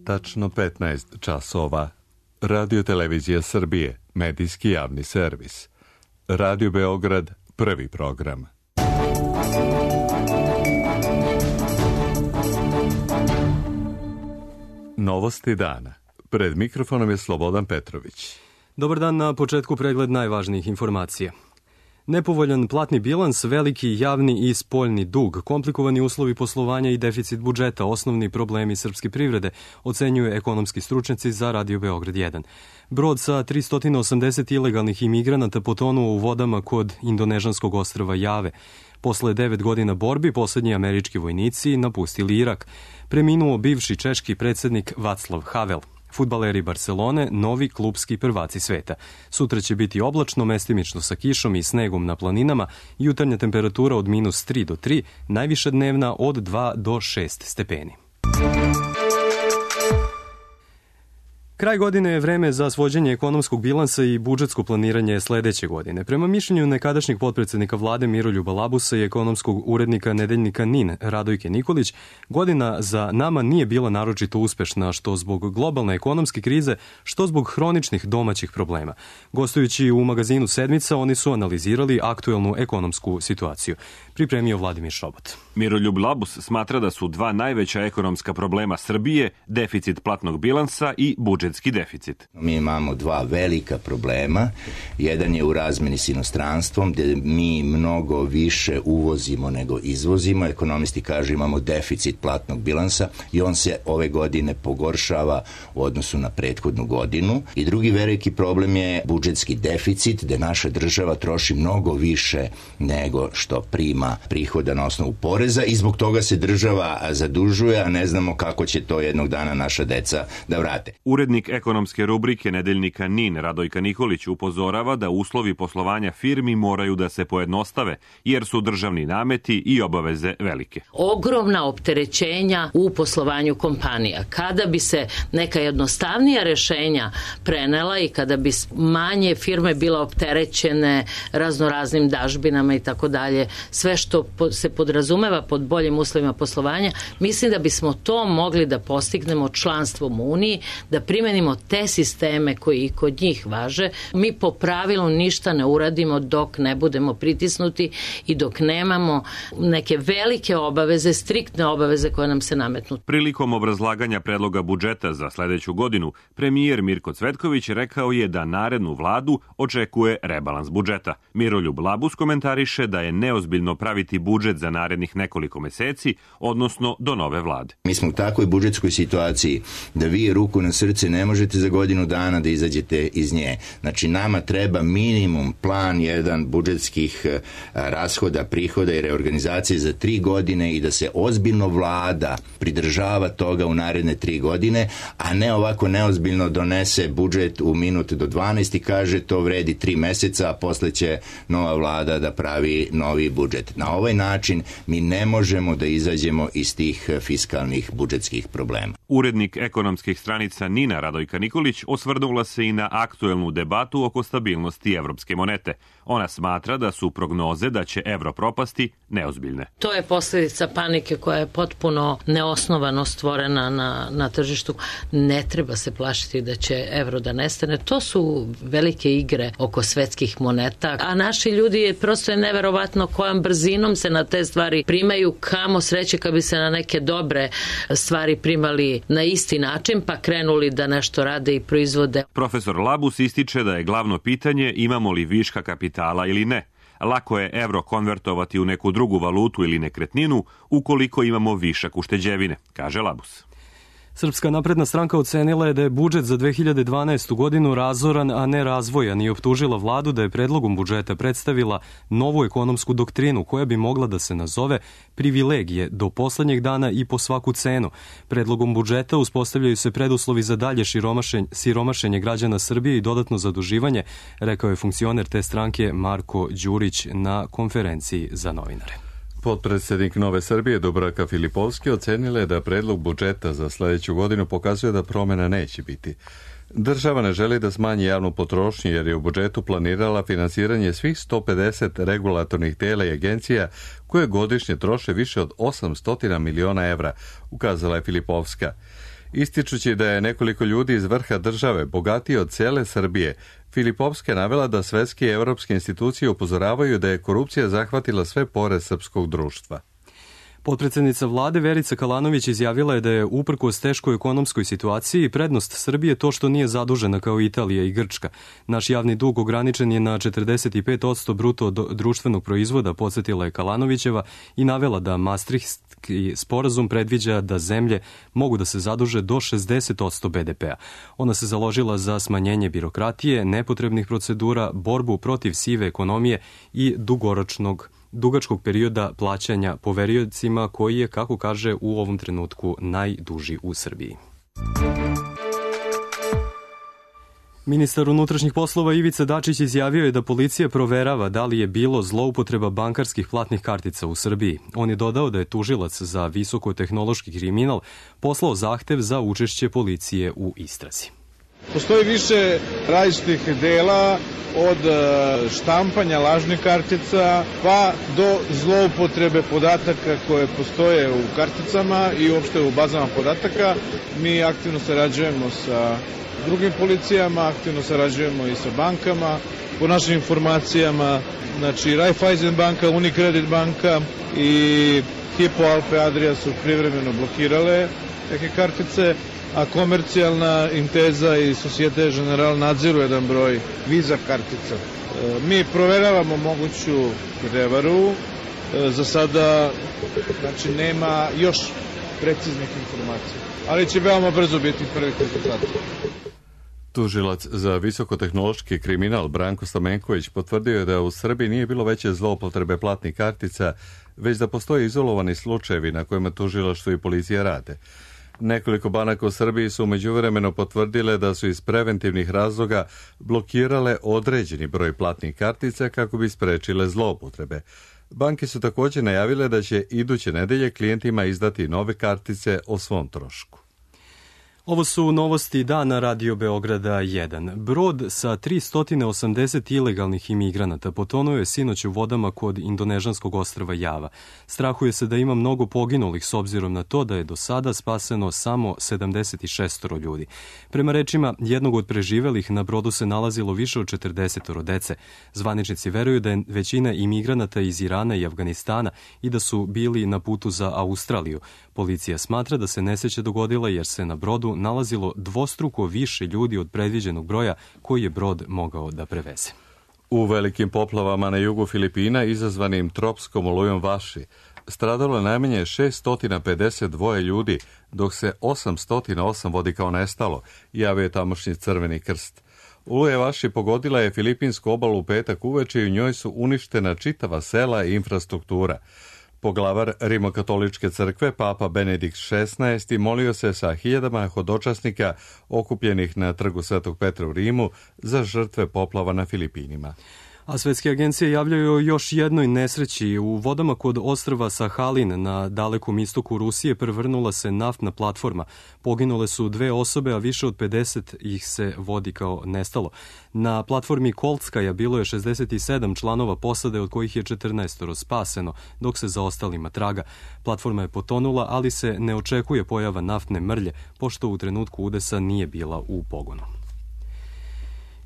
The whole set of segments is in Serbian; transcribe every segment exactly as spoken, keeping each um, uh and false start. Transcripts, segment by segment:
tačno petnaest časova. Radio Televizija Srbije, medijski javni servis. Radio Beograd, prvi program. Novosti dana. Pred mikrofonom je Slobodan Petrović. Dobar dan, na početku pregled najvažnijih informacija. Nepovoljan platni bilans, veliki javni i spoljni dug, komplikovani uslovi poslovanja i deficit budžeta, osnovni problemi srpske privrede, ocenjuju ekonomski stručnjaci za Radio Beograd jedan. Brod sa tristo osamdeset ilegalnih imigranata potonuo u vodama kod indonežanskog ostrva Jave. Posle devet godina borbi, poslednji američki vojnici napustili Irak. Preminuo bivši češki predsednik Václav Havel. Fudbaleri Barcelone, novi klubski prvaci sveta. Sutra će biti oblačno, mestimično sa kišom i snegom na planinama, jutarnja temperatura od minus tri do tri, najviša dnevna od dva do šest stepeni. Kraj godine je vreme za svođenje ekonomskog bilansa i budžetsko planiranje sledeće godine. Prema mišljenju nekadašnjeg potpredsednika vlade Miroljuba Labusa i ekonomskog urednika nedeljnika NIN Radojke Nikolić, godina za nama nije bila naročito uspešna, što zbog globalne ekonomske krize, što zbog hroničnih domaćih problema. Gostujući u magazinu Sedmica, oni su analizirali aktuelnu ekonomsku situaciju. Pripremio Vladimir Šobot. Miroljub Labus smatra da su dva najveća ekonomska problema Srbije deficit platnog bilansa i budžetski deficit. Mi imamo dva velika problema. Jedan je u razmeni s inostranstvom, gde mi mnogo više uvozimo nego izvozimo. Ekonomisti kažu imamo deficit platnog bilansa i on se ove godine pogoršava u odnosu na prethodnu godinu. I drugi veliki problem je budžetski deficit, gde naša država troši mnogo više nego što prima prihoda na osnovu poreza i zbog toga se država zadužuje, a ne znamo kako će to jednog dana naša deca da vrate. Urednik ekonomske rubrike nedeljnika NIN Radojka Nikolić upozorava da uslovi poslovanja firmi moraju da se pojednostave, jer su državni nameti i obaveze velike. Ogromna opterećenja u poslovanju kompanija. Kada bi se neka jednostavnija rešenja prenela i kada bi manje firme bila opterećene raznoraznim dažbinama i tako dalje, sve što se podrazumeva pod boljim uslovima poslovanja, mislim da bismo to mogli da postignemo članstvom u Uniji, da primenimo te sisteme koji i kod njih važe. Mi po pravilu ništa ne uradimo dok ne budemo pritisnuti i dok nemamo neke velike obaveze, striktne obaveze koje nam se nametnu. Prilikom obrazlaganja predloga budžeta za sledeću godinu, premijer Mirko Cvetković rekao je da narednu vladu očekuje rebalans budžeta. Miroljub Labus komentariše da je neozbiljno praviti budžet za narednih nekoliko meseci, odnosno do nove vlade. Mi smo u takvoj budžetskoj situaciji da vi ruku na srce ne možete za godinu dana da izađete iz nje. Znači nama treba minimum plan jedan budžetskih rashoda, prihoda i reorganizacije za tri godine i da se ozbiljno vlada pridržava toga u naredne tri godine, a ne ovako neozbiljno donese budžet u minut do dvanaest i kaže to vredi tri meseca, a posle će nova vlada da pravi novi budžet. Na ovaj način mi ne možemo da izađemo iz tih fiskalnih budžetskih problema. Urednik ekonomskih stranica NIN Radojka Nikolić osvrnula se i na aktuelnu debatu oko stabilnosti evropske monete. Ona smatra da su prognoze da će evro propasti neozbiljne. To je posljedica panike koja je potpuno neosnovano stvorena na, na tržištu. Ne treba se plašiti da će evro da nestane. To su velike igre oko svetskih moneta, a naši ljudi je prosto je neverovatno kojom brzinom se na te stvari primaju, kamo sreće kad bi se na neke dobre stvari primali na isti način pa krenuli da nešto rade i proizvode. Profesor Labus ističe da je glavno pitanje imamo li viška kapitala ili ne. Lako je evro konvertovati u neku drugu valutu ili nekretninu ukoliko imamo višak ušteđevine, kaže Labus. Srpska napredna stranka ocenila je da je budžet za dve hiljade dvanaestu godinu razoran, a ne razvojan i optužila vladu da je predlogom budžeta predstavila novu ekonomsku doktrinu koja bi mogla da se nazove privilegije do poslednjeg dana i po svaku cenu. Predlogom budžeta uspostavljaju se preduslovi za dalje siromašenje građana Srbije i dodatno zaduživanje, rekao je funkcioner te stranke Marko Đurić na konferenciji za novinare. Potpredsednik Nove Srbije Dubravka Filipovski ocenila je da predlog budžeta za sledeću godinu pokazuje da promena neće biti. Država ne želi da smanji javnu potrošnju jer je u budžetu planirala finansiranje svih sto pedeset regulatornih tela i agencija koje godišnje troše više od osamsto miliona evra, ukazala je Filipovska. Ističući da je nekoliko ljudi iz vrha države bogatiji od cele Srbije, Filipovska je navela da svetske i evropske institucije upozoravaju da je korupcija zahvatila sve pore srpskog društva. Potpredsednica vlade Verica Kalanović izjavila je da je uprkos teškoj ekonomskoj situaciji prednost Srbije to što nije zadužena kao Italija i Grčka. Naš javni dug ograničen je na četrdeset pet posto bruto društvenog proizvoda, podsjetila je Kalanovićeva i navela da Maastrichtski sporazum predviđa da zemlje mogu da se zaduže do šezdeset posto be de pea. Ona se založila za smanjenje birokratije, nepotrebnih procedura, borbu protiv sive ekonomije i dugoročnog dugačkog perioda plaćanja poveriocima koji je, kako kaže, u ovom trenutku najduži u Srbiji. Ministar unutrašnjih poslova Ivica Dačić izjavio je da policija proverava da li je bilo zloupotreba bankarskih platnih kartica u Srbiji. On je dodao da je tužilac za visokotehnološki kriminal poslao zahtev za učešće policije u istrazi. Postoji više različitih dela, od štampanja lažnih kartica pa do zloupotrebe podataka koje postoje u karticama i uopšte u bazama podataka. Mi aktivno sarađujemo sa drugim policijama, aktivno sarađujemo i sa bankama. Po našim informacijama, znači Raiffeisen banka, Unicredit banka i Hypo Alpe Adria su privremeno blokirale neke kartice, a komercijalna Intesa i Societe Generale nadziru jedan broj Visa kartica. Mi proveravamo moguću prevaru. Za sada znači, nema još preciznih informacija, ali će veoma brzo biti prvih rezultata. Tužilac za visokotehnološki kriminal Branko Stamenković potvrdio je da u Srbiji nije bilo veće zloupotrebe platnih kartica, već da postoje izolovani slučajevi na kojima tužilaštvo i policija rade. Nekoliko banaka u Srbiji su međuvremeno potvrdile da su iz preventivnih razloga blokirale određeni broj platnih kartica kako bi sprečile zloupotrebe. Banke su također najavile da će iduće nedelje klijentima izdati nove kartice o svom trošku. Ovo su novosti dana Radio Beograda jedan. Brod sa tristo osamdeset ilegalnih imigranata potonuo je sinoć u vodama kod indonežanskog ostrva Java. Strahuje se da ima mnogo poginulih s obzirom na to da je do sada spaseno samo sedamdeset šest ljudi. Prema rečima jednog od preživelih, na brodu se nalazilo više od četrdeset dece. Zvaničnici veruju da je većina imigranata iz Irana i Afganistana i da su bili na putu za Australiju. Policija smatra da se nesreća dogodila jer se na brodu nalazilo dvostruko više ljudi od predviđenog broja koji je brod mogao da preveze. U velikim poplavama na jugu Filipina izazvanim tropskom olujom Vaši stradalo je najmanje šesto pedeset dva ljudi, dok se osamsto osam vodi kao nestalo, javio je tamošnji Crveni krst. Oluja Vaši pogodila je filipinsku obalu u petak uveče i u njoj su uništena čitava sela i infrastruktura. Poglavar Rimokatoličke crkve, papa Benedikt šesnaesti, molio se sa hiljadama hodočasnika okupljenih na trgu Svetog Petra u Rimu za žrtve poplava na Filipinima. A svetske agencije javljaju o još jednoj nesreći. U vodama kod ostrva Sahalin na dalekom istoku Rusije prevrnula se naftna platforma. Poginule su dve osobe, a više od pedeset ih se vodi kao nestalo. Na platformi Koltskaja bilo je šezdeset sedam članova posade, od kojih je četrnaest spaseno, dok se za ostalima traga. Platforma je potonula, ali se ne očekuje pojava naftne mrlje, pošto u trenutku udesa nije bila u pogonu.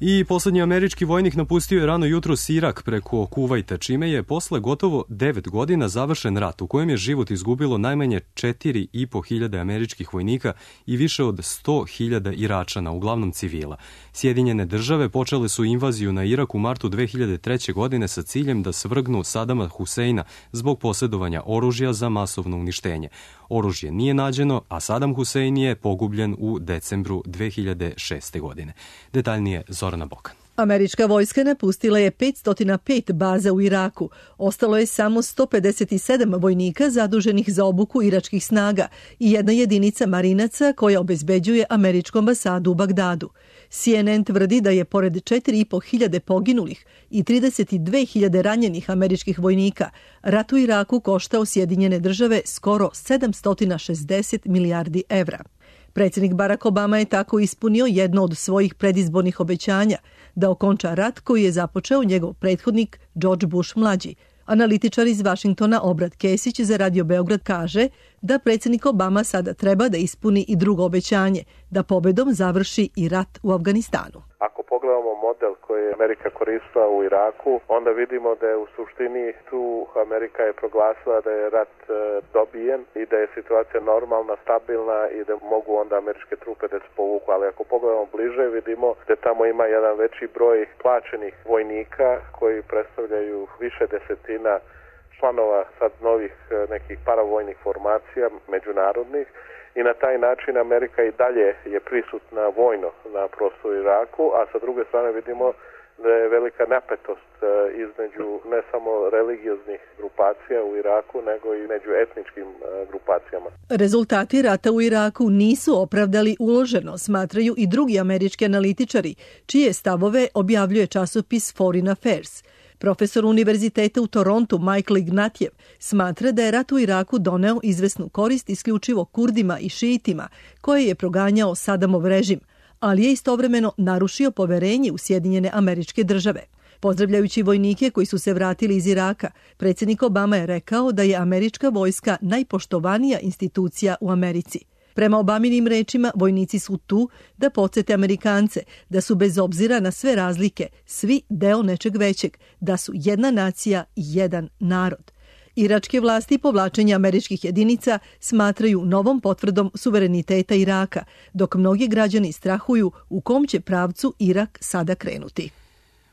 I poslednji američki vojnik napustio je rano jutros Irak preko Kuvajta, čime je posle gotovo devet godina završen rat u kojem je život izgubilo najmanje četiri i po hiljade američkih vojnika i više od sto hiljada Iračana, uglavnom civila. Sjedinjene države počele su invaziju na Irak u martu dve hiljade treće. godine sa ciljem da svrgnu Sadama Huseina zbog posjedovanja oružja za masovno uništenje. Oružje nije nađeno, a Sadam Husein je pogubljen u decembru dve hiljade šeste. godine. Detaljnije Zorana Bokan. Američka vojska napustila je petsto pet baza u Iraku. Ostalo je samo sto pedeset sedam vojnika zaduženih za obuku iračkih snaga i jedna jedinica marinaca koja obezbeđuje američku ambasadu u Bagdadu. C N N tvrdi da je pored četiri i po hiljade poginulih i trideset dve hiljade ranjenih američkih vojnika rat u Iraku koštao Sjedinjene države skoro sedamsto šezdeset milijardi evra. Predsjednik Barack Obama je tako ispunio jedno od svojih predizbornih obećanja da okonča rat koji je započeo njegov prethodnik George Bush mlađi. Analitičar iz Vašingtona Obrad Kesić za Radio Beograd kaže da predsjednik Obama sada treba da ispuni i drugo obećanje, da pobedom završi i rat u Afganistanu. Ako pogledamo model koji je Amerika koristila u Iraku, onda vidimo da je u suštini tu Amerika je proglasila da je rat e, dobijen i da je situacija normalna, stabilna i da mogu onda američke trupe da se povuku. Ali ako pogledamo bliže, vidimo da tamo ima jedan veći broj plaćenih vojnika koji predstavljaju više desetina članova sad novih nekih paravojnih formacija međunarodnih i na taj način Amerika i dalje je prisutna vojno na prostoru Iraku, a sa druge strane vidimo da je velika napetost između ne samo religioznih grupacija u Iraku, nego i među etničkim grupacijama. Rezultati rata u Iraku nisu opravdali uloženo, smatraju i drugi američki analitičari, čije stavove objavljuje časopis Foreign Affairs. Profesor univerziteta u Torontu Michael Ignatjev smatra da je rat u Iraku doneo izvesnu korist isključivo Kurdima i šiitima, koje je proganjao Sadamov režim, ali je istovremeno narušio poverenje u Sjedinjene Američke Države. Pozdravljajući vojnike koji su se vratili iz Iraka, predsjednik Obama je rekao da je američka vojska najpoštovanija institucija u Americi. Prema Obaminim rečima, vojnici su tu da podsjete Amerikance da su bez obzira na sve razlike svi deo nečeg većeg, da su jedna nacija i jedan narod. Iračke vlasti povlačenje američkih jedinica smatraju novom potvrdom suvereniteta Iraka, dok mnogi građani strahuju u kom će pravcu Irak sada krenuti.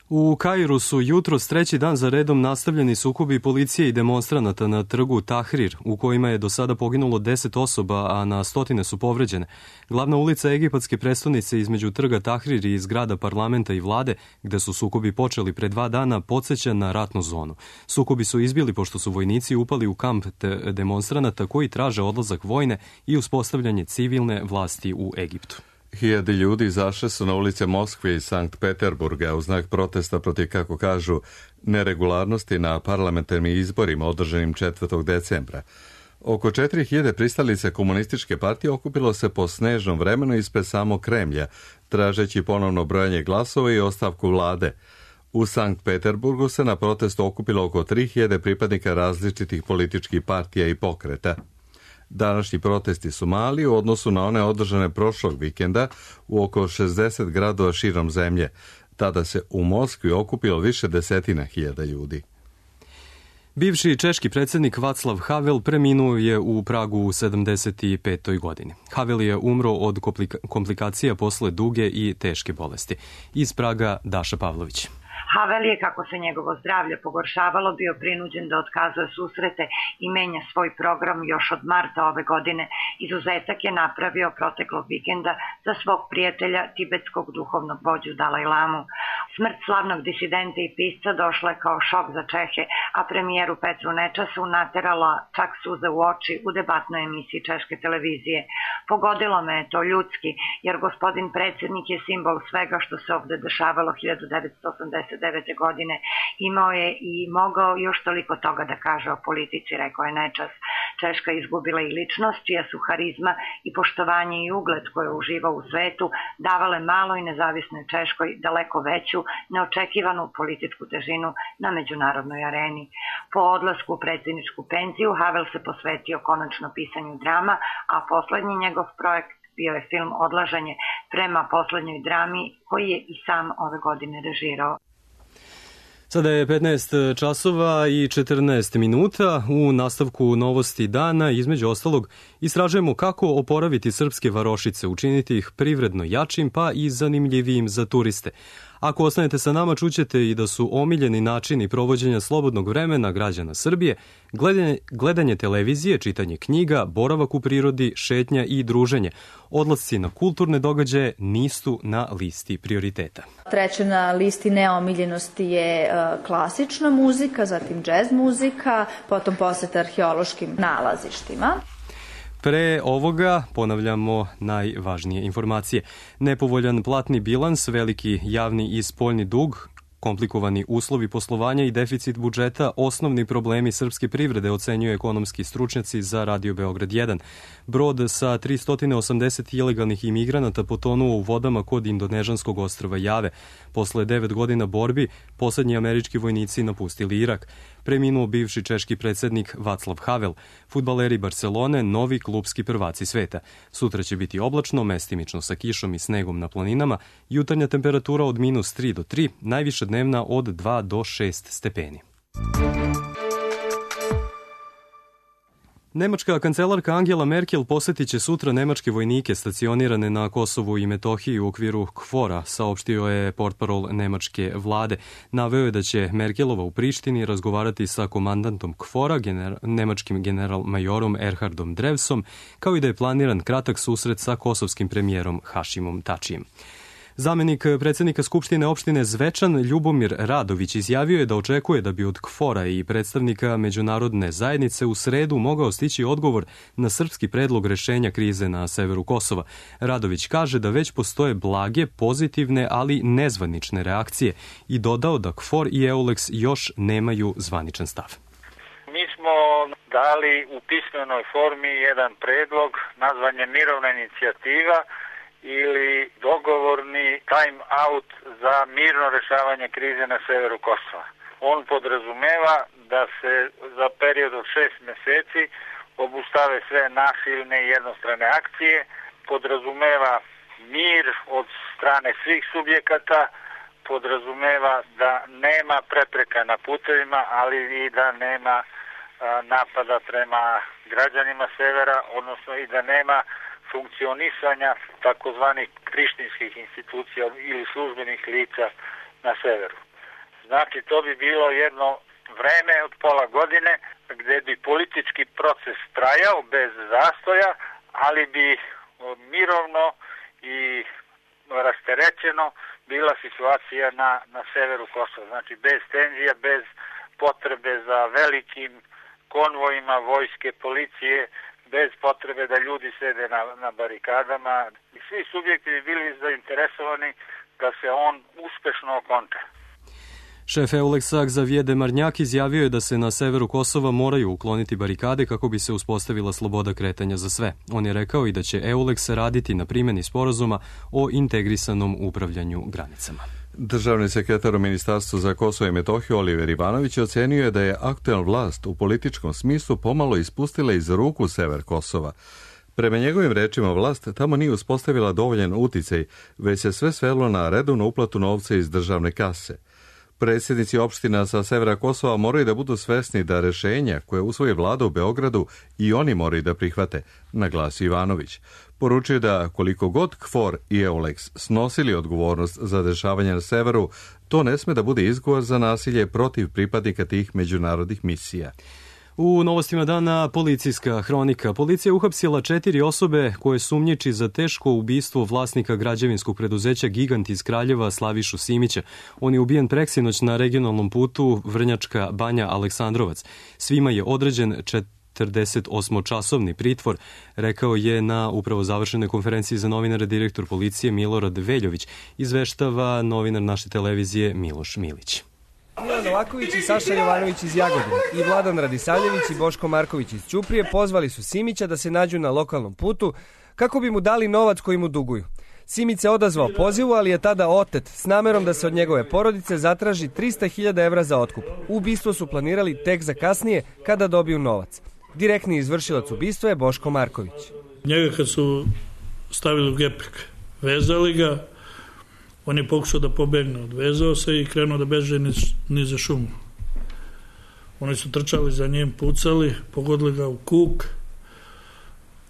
U Kairu su jutros treći dan za redom nastavljeni sukobi policije i demonstranata na trgu Tahrir, u kojima je do sada poginulo deset osoba, a na stotine su povređene. Glavna ulica egipatske prestonice između trga Tahrir i zgrada parlamenta i vlade, gde su sukobi počeli pre dva dana, podsjeća na ratnu zonu. Sukobi su izbili pošto su vojnici upali u kamp demonstranata koji traže odlazak vojne i uspostavljanje civilne vlasti u Egiptu. Hiljade ljudi izašle su na ulice Moskve i Sankt Peterburga u znak protesta protiv, kako kažu, neregularnosti na parlamentarnim izborima održanim četvrtog decembra. Oko četiri hiljade pristalice komunističke partije okupilo se po snežnom vremenu ispred samog Kremlja, tražeći ponovno brojanje glasova i ostavku vlade. U Sankt Peterburgu se na protestu okupilo oko tri hiljade pripadnika različitih političkih partija i pokreta. Današnji protesti su mali u odnosu na one održane prošlog vikenda u oko šezdeset gradova širom zemlje. Tada se u Moskvi okupilo više desetina hiljada ljudi. Bivši češki predsjednik Václav Havel preminuo je u Pragu u sedamdeset petoj godini. Havel je umro od komplikacija posle duge i teške bolesti. Iz Praga Daša Pavlović. Havel je, kako se njegovo zdravlje pogoršavalo, bio prinuđen da otkazuje susrete i menja svoj program još od marta ove godine. Izuzetak je napravio proteklog vikenda za svog prijatelja, tibetskog duhovnog vođu Dalaj Lamu. Smrt slavnog disidenta i pisca došla je kao šok za Čehe, a premijeru Petru Nečasu naterala čak suze u oči u debatnoj emisiji češke televizije. Pogodilo me je to ljudski, jer gospodin predsjednik je simbol svega što se ovde dešavalo hiljadu devetsto osamdeset devete godine. Imao je i mogao još toliko toga da kaže o politici, rekao je Nečas. Češka izgubila i ličnost, čija su harizma i poštovanje i ugled koje uživa u svetu davale maloj nezavisnoj Češkoj daleko veću, neočekivanu političku težinu na međunarodnoj areni. Po odlasku u predsjedničku penziju Havel se posvetio konačno pisanju drama, a poslednji njegov projekt bio je film Odlaženje prema poslednjoj drami koji je i sam ove godine režirao. Sada je petnaest časova i četrnaest minuta. U nastavku novosti dana, između ostalog, istražujemo kako oporaviti srpske varošice, učiniti ih privredno jačim pa i zanimljivijim za turiste. Ako ostanete sa nama, čućete i da su omiljeni načini provođenja slobodnog vremena građana Srbije gledanje, gledanje televizije, čitanje knjiga, boravak u prirodi, šetnja i druženje. Odlasci na kulturne događaje nisu na listi prioriteta. Treće na listi neomiljenosti je klasična muzika, zatim džez muzika, potom poseta arheološkim nalazištima. Pre ovoga ponavljamo najvažnije informacije. Nepovoljan platni bilans, veliki javni i spoljni dug, komplikovani uslovi poslovanja i deficit budžeta, osnovni problemi srpske privrede, ocenjuju ekonomski stručnjaci za Radio Beograd jedan. Brod sa tristo osamdeset ilegalnih imigranata potonuo u vodama kod indonežanskog ostrva Jave. Posle devet godina borbi, poslednji američki vojnici napustili Irak. preminuo bivši češki predsjednik Václav Havel, fudbaleri Barcelone, novi klupski prvaci sveta. Sutra će biti oblačno, mestimično sa kišom i snegom na planinama, jutarnja temperatura od minus tri do tri, najviša dnevna od dva do šest stepeni. Nemačka kancelarka Angela Merkel posjetit će sutra nemačke vojnike stacionirane na Kosovu i Metohiji u okviru KFOR-a, saopštio je portparol nemačke vlade. Naveo je da će Merkelova u Prištini razgovarati sa komandantom KFOR-a, gener- nemačkim general-majorom Erhardom Drevsom, kao i da je planiran kratak susret sa kosovskim premijerom Hašimom Tačijem. Zamenik predsjednika Skupštine opštine Zvečan Ljubomir Radović izjavio je da očekuje da bi od KFOR-a i predstavnika međunarodne zajednice u sredu mogao stići odgovor na srpski predlog rešenja krize na severu Kosova. Radović kaže da već postoje blage, pozitivne, ali nezvanične reakcije i dodao da KFOR i EULEX još nemaju zvaničan stav. Mi smo dali u pismenoj formi jedan predlog nazvan je mirovna inicijativa ili dogovorni time out za mirno rešavanje krize na severu Kosova. On podrazumeva da se za period od šest meseci obustave sve nasilne i jednostrane akcije, podrazumeva mir od strane svih subjekata, podrazumeva da nema prepreka na putevima, ali i da nema a, napada prema građanima severa, odnosno i da nema funkcionisanja takozvanih prištinskih institucija ili službenih lica na severu. Znači, to bi bilo jedno vreme od pola godine gdje bi politički proces trajao bez zastoja, ali bi mirovno i rasterećeno bila situacija na, na severu Kosova. Znači, bez tenzija, bez potrebe za velikim konvojima vojske, policije, bez potrebe da ljudi sede na, na barikadama. I svi subjekti bi bili zainteresovani da se on uspešno okonča. Šef EULEX-a Xavier Demarnjak izjavio je da se na severu Kosova moraju ukloniti barikade kako bi se uspostavila sloboda kretanja za sve. On je rekao i da će EULEX raditi na primjeni sporazuma o integrisanom upravljanju granicama. Državni sekretar u Ministarstvu za Kosovo i Metohiju Oliver Ivanović ocenio je da je aktuelna vlast u političkom smislu pomalo ispustila iz ruku sever Kosova. Prema njegovim rečima, vlast tamo nije uspostavila dovoljan uticaj, već se sve svelo na redovnu uplatu novca iz državne kase. Predsjednici opština sa severa Kosova moraju da budu svesni da rešenja koje usvoji vlada u Beogradu i oni moraju da prihvate, naglasio Ivanović. Poručuje da koliko god KFOR i EULEX snosili odgovornost za dešavanje na severu, to ne sme da bude izgovor za nasilje protiv pripadnika tih međunarodnih misija. U novostima dana policijska hronika. Policija je uhapsila četiri osobe koje sumnjiči za teško ubistvo vlasnika građevinskog preduzeća Gigant iz Kraljeva Slavišu Simića. On je ubijen preksinoć na regionalnom putu Vrnjačka Banja Aleksandrovac. Svima je određen četrdeset osmočasovni pritvor, rekao je na upravo završenoj konferenciji za novinare direktor policije Milorad Veljović, izveštava novinar naše televizije Miloš Milić. Milan Novaković i Saša Jovanović iz Jagodine i Vladan Radisavljević i Boško Marković iz Ćuprije pozvali su Simića da se nađu na lokalnom putu kako bi mu dali novac koji mu duguju. Simić se odazvao pozivu, ali je tada otet s namerom da se od njegove porodice zatraži trista hiljada evra za otkup. Ubistvo su planirali tek za kasnije kada dobiju novac. Direktni izvršilac ubistva je Boško Marković. Njega kad su stavili u gepek, vezali ga, on je pokušao da pobegne, odvezao se i krenuo da beže niz, niz za šumu. Oni su trčali za njim, pucali, pogodili ga u kuk.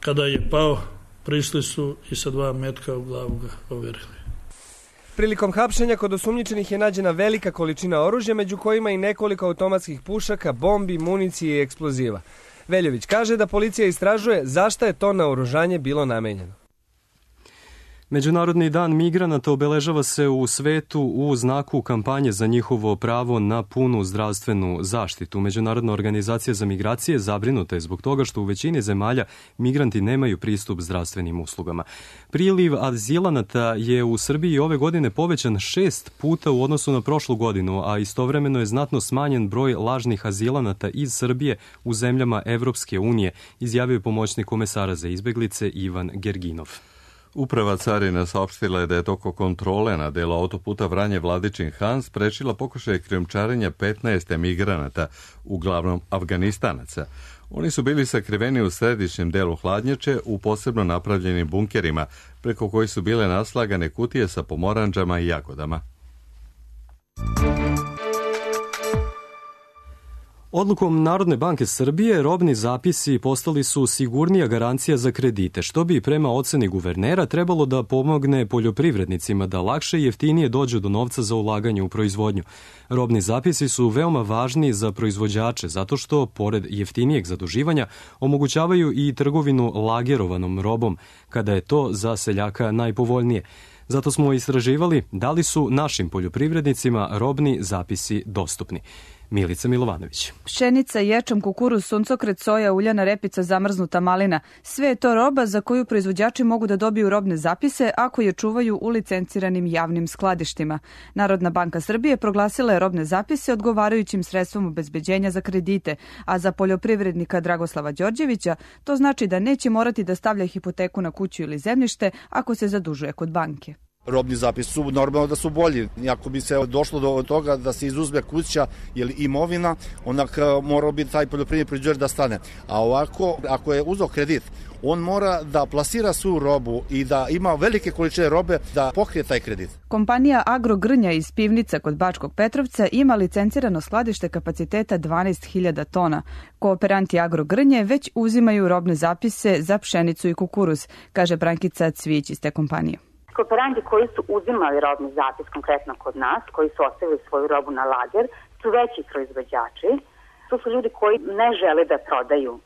Kada je pao, prišli su i sa dva metka u glavu ga overili. Prilikom hapšenja kod osumnjičenih je nađena velika količina oružja, među kojima i nekoliko automatskih pušaka, bombi, municije i eksploziva. Veljović kaže da policija istražuje zašto je to naoružanje bilo namenjeno. Međunarodni dan migranata obeležava se u svetu u znaku kampanje za njihovo pravo na punu zdravstvenu zaštitu. Međunarodna organizacija za migracije zabrinuta je zbog toga što u većini zemalja migranti nemaju pristup zdravstvenim uslugama. Priliv azilanata je u Srbiji ove godine povećan šest puta u odnosu na prošlu godinu, a istovremeno je znatno smanjen broj lažnih azilanata iz Srbije u zemljama Evropske unije, izjavio je pomoćnik komesara za izbeglice Ivan Gerginov. Uprava carina saopštila je da je toko kontrole na delu autoputa Vranje-Vladičin-Han sprečila pokušaj krijumčarenja petnaest emigranata, uglavnom Afganistanaca. Oni su bili sakriveni u središnjem delu hladnjače u posebno napravljenim bunkerima, preko kojih su bile naslagane kutije sa pomoranđama i jagodama. Odlukom Narodne banke Srbije robni zapisi postali su sigurnija garancija za kredite, što bi prema oceni guvernera trebalo da pomogne poljoprivrednicima da lakše i jeftinije dođu do novca za ulaganje u proizvodnju. Robni zapisi su veoma važni za proizvođače zato što, pored jeftinijeg zaduživanja, omogućavaju i trgovinu lagerovanom robom, kada je to za seljaka najpovoljnije. Zato smo istraživali da li su našim poljoprivrednicima robni zapisi dostupni. Milica Milovanović. Pšenica, ječam, kukuruz, suncokret, soja, uljana repica, zamrznuta malina. Sve je to roba za koju proizvođači mogu da dobiju robne zapise ako je čuvaju u licenciranim javnim skladištima. Narodna banka Srbije proglasila je robne zapise odgovarajućim sredstvom obezbeđenja za kredite, a za poljoprivrednika Dragoslava Đorđevića to znači da neće morati da stavlja hipoteku na kuću ili zemljište ako se zadužuje kod banke. Robni zapisi su normalno da su bolji. Ako bi se došlo do toga da se izuzme kuća ili imovina, onda mora bi taj poljoprivredni proizvođač da stane. A ovako, ako je uzeo kredit, on mora da plasira svu robu i da ima velike količine robe da pokrije taj kredit. Kompanija Agrogrnja iz Pivnica kod Bačkog Petrovca ima licencirano skladište kapaciteta dvanaest hiljada tona. Kooperanti Agrogrnje već uzimaju robne zapise za pšenicu i kukuruz, kaže Brankica Cvić iz te kompanije. Kooperanti koji su uzimali robni zapis konkretno kod nas, koji su ostavili svoju robu na lager, su veći proizvođači. To su ljudi koji ne žele da prodaju uh,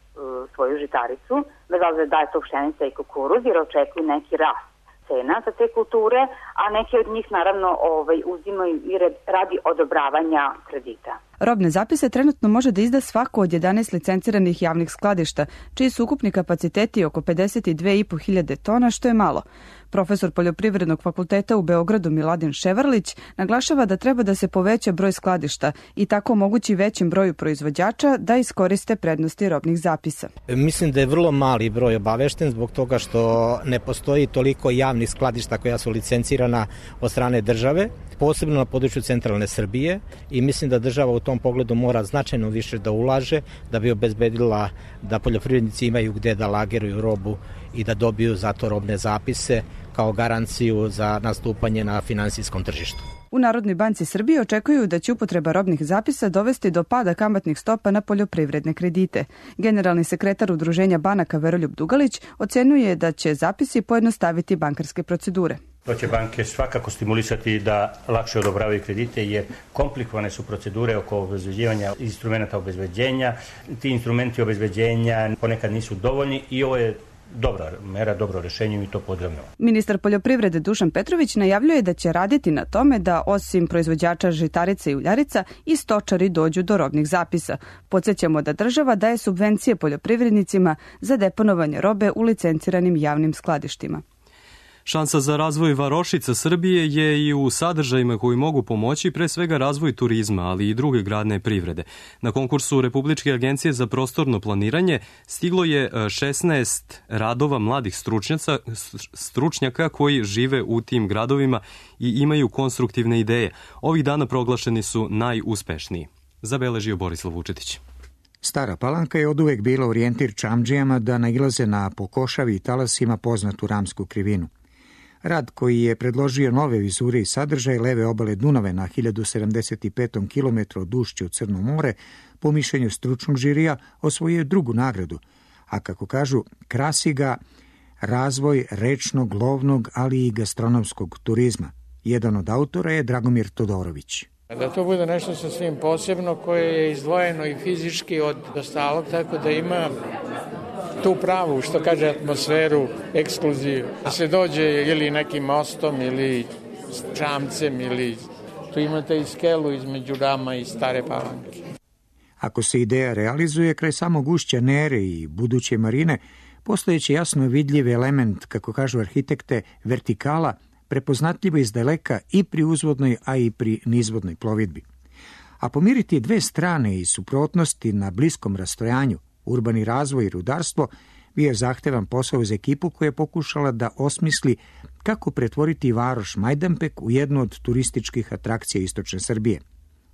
svoju žitaricu, bez obzira da je to pšenica i kukuruz, jer očekuju neki rast cena za te kulture, a neki od njih naravno ovaj, uzimaju i radi odobravanja kredita. Robne zapise trenutno može da izda svako od jedanaest licenciranih javnih skladišta, čiji su ukupni kapaciteti oko pedeset dve i po hiljade tona, što je malo. Profesor Poljoprivrednog fakulteta u Beogradu Miladin Ševarlić naglašava da treba da se poveća broj skladišta i tako omogući većem broju proizvođača da iskoriste prednosti robnih zapisa. Mislim da je vrlo mali broj obavešten zbog toga što ne postoji toliko javnih skladišta koja su licencirana od strane države, posebno na području centralne Srbije, i mislim da država u tom pogledu mora značajno više da ulaže da bi obezbedila da poljoprivrednici imaju gde da lageruju robu i da dobiju za to robne zapise kao garanciju za nastupanje na finansijskom tržištu. U Narodnoj banci Srbije očekuju da će upotreba robnih zapisa dovesti do pada kamatnih stopa na poljoprivredne kredite. Generalni sekretar Udruženja banaka Veroljub Dugalić ocenjuje da će zapisi pojednostaviti bankarske procedure. To će banke svakako stimulisati da lakše odobravaju kredite, jer komplikovane su procedure oko obezbeđivanja instrumenta obezbeđenja. Ti instrumenti obezbeđenja ponekad nisu dovoljni i ovo je dobra mera, dobro rešenje i mi to pozdravljamo. Ministar poljoprivrede Dušan Petrović najavljuje da će raditi na tome da osim proizvođača žitarica i uljarica i stočari dođu do robnih zapisa. Podsjećamo da država daje subvencije poljoprivrednicima za deponovanje robe u licenciranim javnim skladištima. Šansa za razvoj varošica Srbije je i u sadržajima koji mogu pomoći pre svega razvoj turizma, ali i druge gradne privrede. Na konkursu Republičke agencije za prostorno planiranje stiglo je šesnaest radova mladih stručnjaka koji žive u tim gradovima i imaju konstruktivne ideje. Ovih dana proglašeni su najuspešniji. Zabeležio Borislav Vučetić. Stara Palanka je oduvek bila orijentir čamdžijama da nailaze na po košavi i talasima poznatu Ramsku krivinu. Rad koji je predložio nove vizure i sadržaj leve obale Dunave na hiljadu sedamdeset pet kilometara od ušća u Crno more, po mišljenju stručnog žirija, osvojio drugu nagradu, a kako kažu, krasi ga razvoj rečnog, lovnog, ali i gastronomskog turizma. Jedan od autora je Dragomir Todorović. Da to bude nešto sasvim posebno koje je izdvojeno i fizički od ostalog, tako da ima tu pravu, što kaže, atmosferu, ekskluzivu. Da se dođe ili nekim mostom ili čamcem ili tu imate i skelu između Rama i Stare Palanke. Ako se ideja realizuje kraj samog ušća Nere i buduće marine, postojeće jasno vidljiv element, kako kažu arhitekte, vertikala, prepoznatljivo iz daleka i pri uzvodnoj, a i pri nizvodnoj plovidbi. A pomiriti dve strane i suprotnosti na bliskom rastojanju, urbani razvoj i rudarstvo, bio je zahtevan posao za ekipu koja je pokušala da osmisli kako pretvoriti varoš Majdanpek u jednu od turističkih atrakcija istočne Srbije.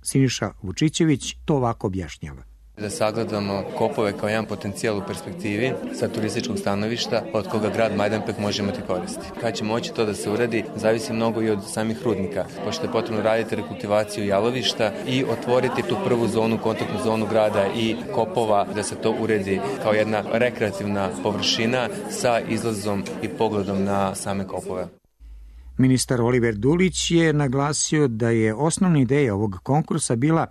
Siniša Vučićević to ovako objašnjava. Da sagledamo kopove kao jedan potencijal u perspektivi sa turističkog stanovišta od koga grad Majdanpek može imati koristi. Kad će moći to da se uradi, zavisi mnogo i od samih rudnika, pošto je potrebno raditi rekultivaciju jalovišta i otvoriti tu prvu zonu, kontaktnu zonu grada i kopova, da se to uredi kao jedna rekreativna površina sa izlazom i pogledom na same kopove. Ministar Oliver Dulić je naglasio da je osnovna ideja ovog konkursa bila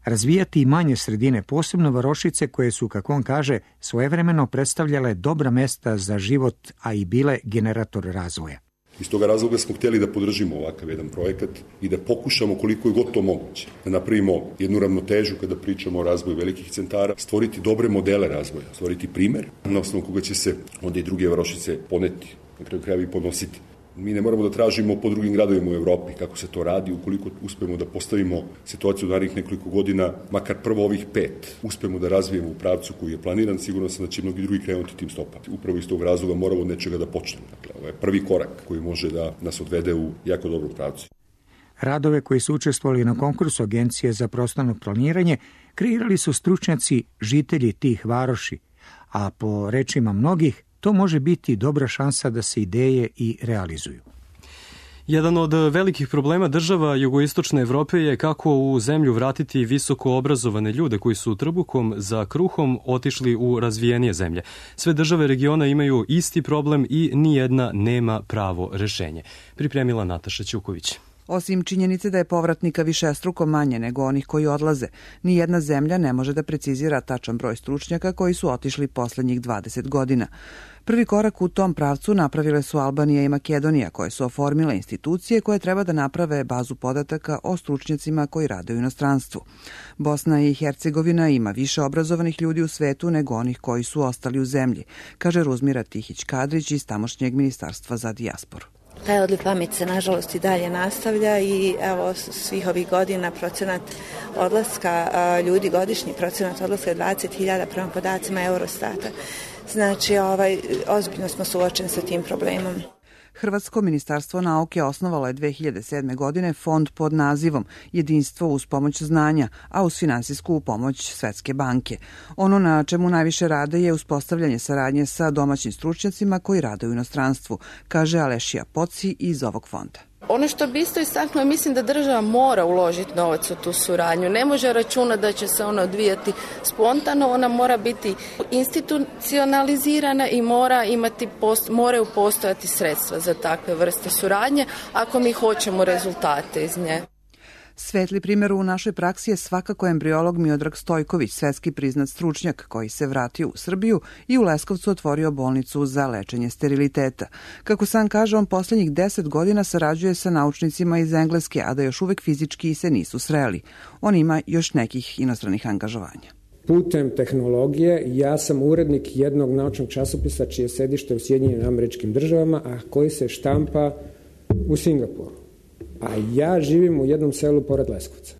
razvijati i manje sredine, posebno varošice koje su, kako on kaže, svojevremeno predstavljale dobra mesta za život, a i bile generator razvoja. Iz toga razloga smo htjeli da podržimo ovakav jedan projekat i da pokušamo koliko je god to moguće da napravimo jednu ravnotežu kada pričamo o razvoju velikih centara, stvoriti dobre modele razvoja, stvoriti primer na osnovu koga će se onda i druge varošice poneti, na kraju krajeva i ponositi. Mi ne moramo da tražimo po drugim gradovima u Evropi kako se to radi, ukoliko uspemo da postavimo situaciju u narednih nekoliko godina, makar prvo ovih pet, uspemo da razvijemo u pravcu koji je planiran, sigurno sam da će mnogi drugi krenuti tim stopama. Upravo iz tog razloga moramo od nečega da počnemo. Dakle, ovo je prvi korak koji može da nas odvede u jako dobru pravcu. Radove koji su učestvovali na konkursu Agencije za prostorno planiranje kreirali su stručnjaci, žitelji tih varoši, a po rečima mnogih, to može biti dobra šansa da se ideje i realizuju. Jedan od velikih problema država jugoistočne Evrope je kako u zemlju vratiti visoko obrazovane ljude koji su trbuhom za kruhom otišli u razvijenije zemlje. Sve države regiona imaju isti problem i nijedna nema pravo rešenje. Pripremila Nataša Ćuković. Osim činjenice da je povratnika višestruko manje nego onih koji odlaze, nijedna zemlja ne može da precizira tačan broj stručnjaka koji su otišli poslednjih dvadeset godina. Prvi korak u tom pravcu napravile su Albanija i Makedonija, koje su oformile institucije koje treba da naprave bazu podataka o stručnjacima koji rade u inostranstvu. Bosna i Hercegovina ima više obrazovanih ljudi u svetu nego onih koji su ostali u zemlji, kaže Ruzmira Tihić-Kadrić iz tamošnjeg ministarstva za dijasporu. Taj odliv pameti se nažalost i dalje nastavlja i evo svih ovih godina procenat odlaska ljudi, godišnji procenat odlaska je dvadeset hiljada prema podacima Eurostata. Znači, ovaj, ozbiljno smo suočeni sa tim problemom. Hrvatsko ministarstvo nauke osnovalo je dve hiljade sedme. godine fond pod nazivom Jedinstvo uz pomoć znanja, a uz finansijsku pomoć Svetske banke. Ono na čemu najviše rade je uspostavljanje saradnje sa domaćim stručnjacima koji rade u inostranstvu, kaže Alešija Poci iz ovog fonda. Ono što bi isto istaknuo, mislim da država mora uložiti novac u tu suradnju. Ne može računati da će se ona odvijati spontano, ona mora biti institucionalizirana i mora imati, moraju postojati sredstva za takve vrste suradnje ako mi hoćemo rezultate iz nje. Svetli primjer u našoj praksi je svakako embriolog Miodrag Stojković, svetski priznat stručnjak koji se vratio u Srbiju i u Leskovcu otvorio bolnicu za lečenje steriliteta. Kako sam kaže, on poslednjih deset godina sarađuje sa naučnicima iz Engleske, a da još uvek fizički se nisu sreli. On ima još nekih inostranih angažovanja. Putem tehnologije ja sam urednik jednog naučnog časopisa čije sedište u Sjedinjenim Američkim Državama, a koji se štampa u Singapuru. A ja živim u jednom selu pored Leskovca.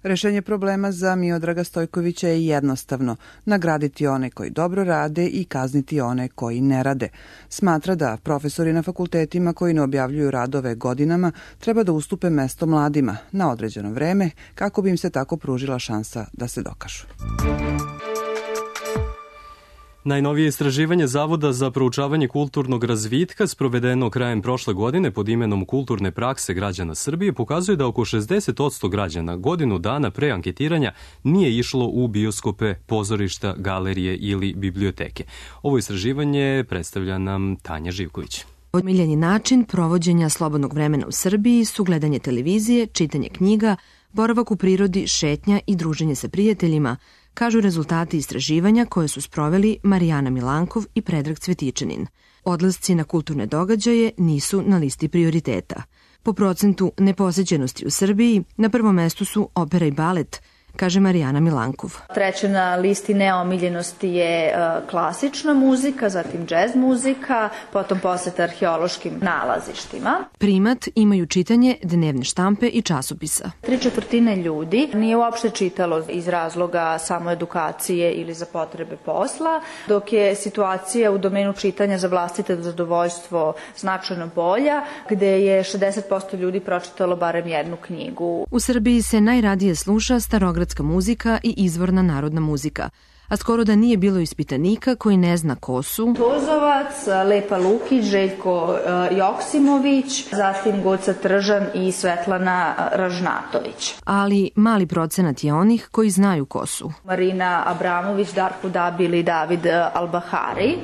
Rešenje problema za Miodraga Stojkovića je jednostavno: nagraditi one koji dobro rade i kazniti one koji ne rade. Smatra da profesori na fakultetima koji ne objavljuju radove godinama treba da ustupe mesto mladima na određeno vreme kako bi im se tako pružila šansa da se dokažu. Najnovije istraživanje Zavoda za proučavanje kulturnog razvitka sprovedeno krajem prošle godine pod imenom Kulturne prakse građana Srbije pokazuje da oko šezdeset posto građana godinu dana pre anketiranja nije išlo u bioskope, pozorišta, galerije ili biblioteke. Ovo istraživanje predstavlja nam Tanja Živković. Omiljeni način provođenja slobodnog vremena u Srbiji su gledanje televizije, čitanje knjiga, boravak u prirodi, šetnja i druženje sa prijateljima, kažu rezultati istraživanja koje su sproveli Marijana Milankov i Predrag Cvetičanin. Odlasci na kulturne događaje nisu na listi prioriteta. Po procentu neposećenosti u Srbiji na prvom mestu su opera i balet, kaže Marijana Milankov. Treće na listi neomiljenosti je klasična muzika, zatim džez muzika, potom poseta arheološkim nalazištima. Primat imaju čitanje dnevne štampe i časopisa. Tri četvrtine ljudi nije uopšte čitalo iz razloga samo edukacije ili za potrebe posla, dok je situacija u domenu čitanja za vlastite zadovoljstvo značajno bolja, gde je šezdeset posto ljudi pročitalo barem jednu knjigu. U Srbiji se najradije sluša starogradska muzika i izvorna narodna muzika, a skoro da nije bilo ispitanika koji ne zna ko su Tozovac, Lepa Lukić, Željko Joksimović, zatim Goca Tržan i Svetlana Ražnatović. Ali mali procenat je onih koji znaju ko su. Marina Abramović, Darko Dabil i David Albahari.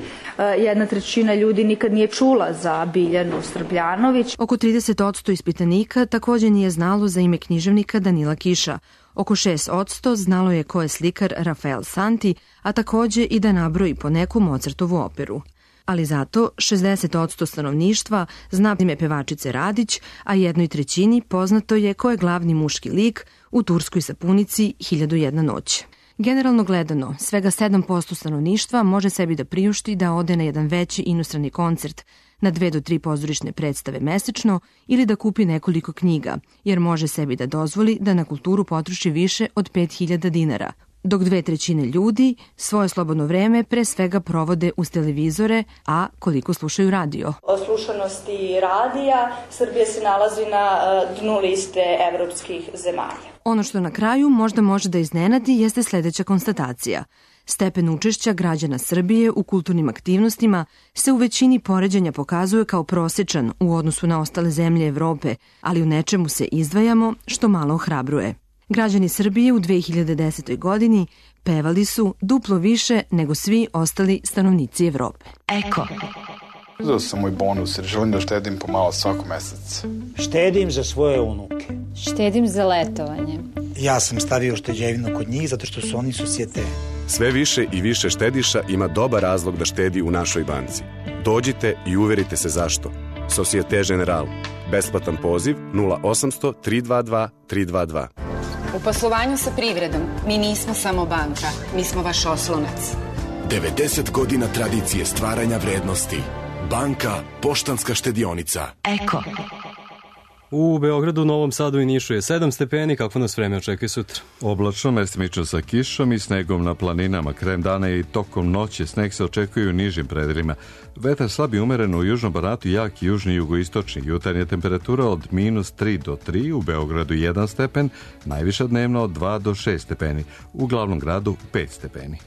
Jedna trećina ljudi nikad nije čula za Biljanu Srbljanović. Oko trideset posto ispitanika također nije znalo za ime književnika Danila Kiša. Oko šest posto znalo je ko je slikar Rafael Santi, a također i da nabroji po neku Mozartovu operu. Ali zato šezdeset posto stanovništva zna ime pevačice Radić, a jednoj trećini poznato je ko je glavni muški lik u turskoj sapunici Hiljadu jedna noć. Generalno gledano, svega sedam posto stanovništva može sebi da priušti da ode na jedan veći inostrani koncert, na dve do tri pozorišne predstave mesečno ili da kupi nekoliko knjiga, jer može sebi da dozvoli da na kulturu potroši više od pet hiljada dinara, dok dve trećine ljudi svoje slobodno vreme pre svega provode uz televizore, a koliko slušaju radio. O slušanosti radija Srbija se nalazi na dnu liste evropskih zemalja. Ono što na kraju možda može da iznenadi jeste sledeća konstatacija. Stepen učešća građana Srbije u kulturnim aktivnostima se u većini poređenja pokazuje kao prosječan u odnosu na ostale zemlje Evrope, ali u nečemu se izdvajamo što malo ohrabruje. Građani Srbije u dve hiljade desetoj. godini pevali su duplo više nego svi ostali stanovnici Evrope. Eko. Uzeo sam moj bonus jer želim da štedim pomalo svako mesec. Štedim za svoje unuke. Štedim za letovanje. Ja sam stavio šteđevinu kod njih zato što su oni susjete. Sve više i više štediša ima dobar razlog da štedi u našoj banci. Dođite i uverite se zašto. Societe Generale. Besplatan poziv nula osamsto tri dva dva tri dva dva. U poslovanju sa privredom mi nismo samo banka, mi smo vaš oslonac. devedeset godina tradicije stvaranja vrednosti. Banka Poštanska štedionica. Eko. U Beogradu, Novom Sadu i Nišu je sedam stepeni, kako nas vreme očekuje sutra. Oblačno, mestimično sa kišom i snegom na planinama. Krajem dana i tokom noći sneg se očekuje u nižim predelima. Vetar slab i umeren u južnom Banatu, jak i južni jugoistočni. Jutarnja temperatura od minus tri do tri, u Beogradu jedan stepen, najviša dnevno od dva do šest stepeni. U glavnom gradu pet stepeni.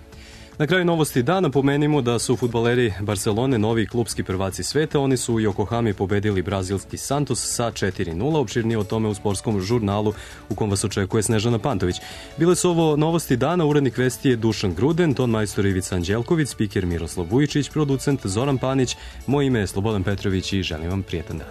Na kraju novosti dana pomenimo da su fudbaleri Barcelone novi klubski prvaci sveta. Oni su u Yokohami pobedili brazilski Santos sa četiri nula. Opširnije o tome u sportskom žurnalu u kom vas očekuje Snežana Pantović. Bile su ovo novosti dana. Urednik vesti je Dušan Gruden, ton majstor Ivica Anđelković, spiker Miroslav Vujičić, producent Zoran Panić. Moje ime je Slobodan Petrović i želim vam prijetan dan.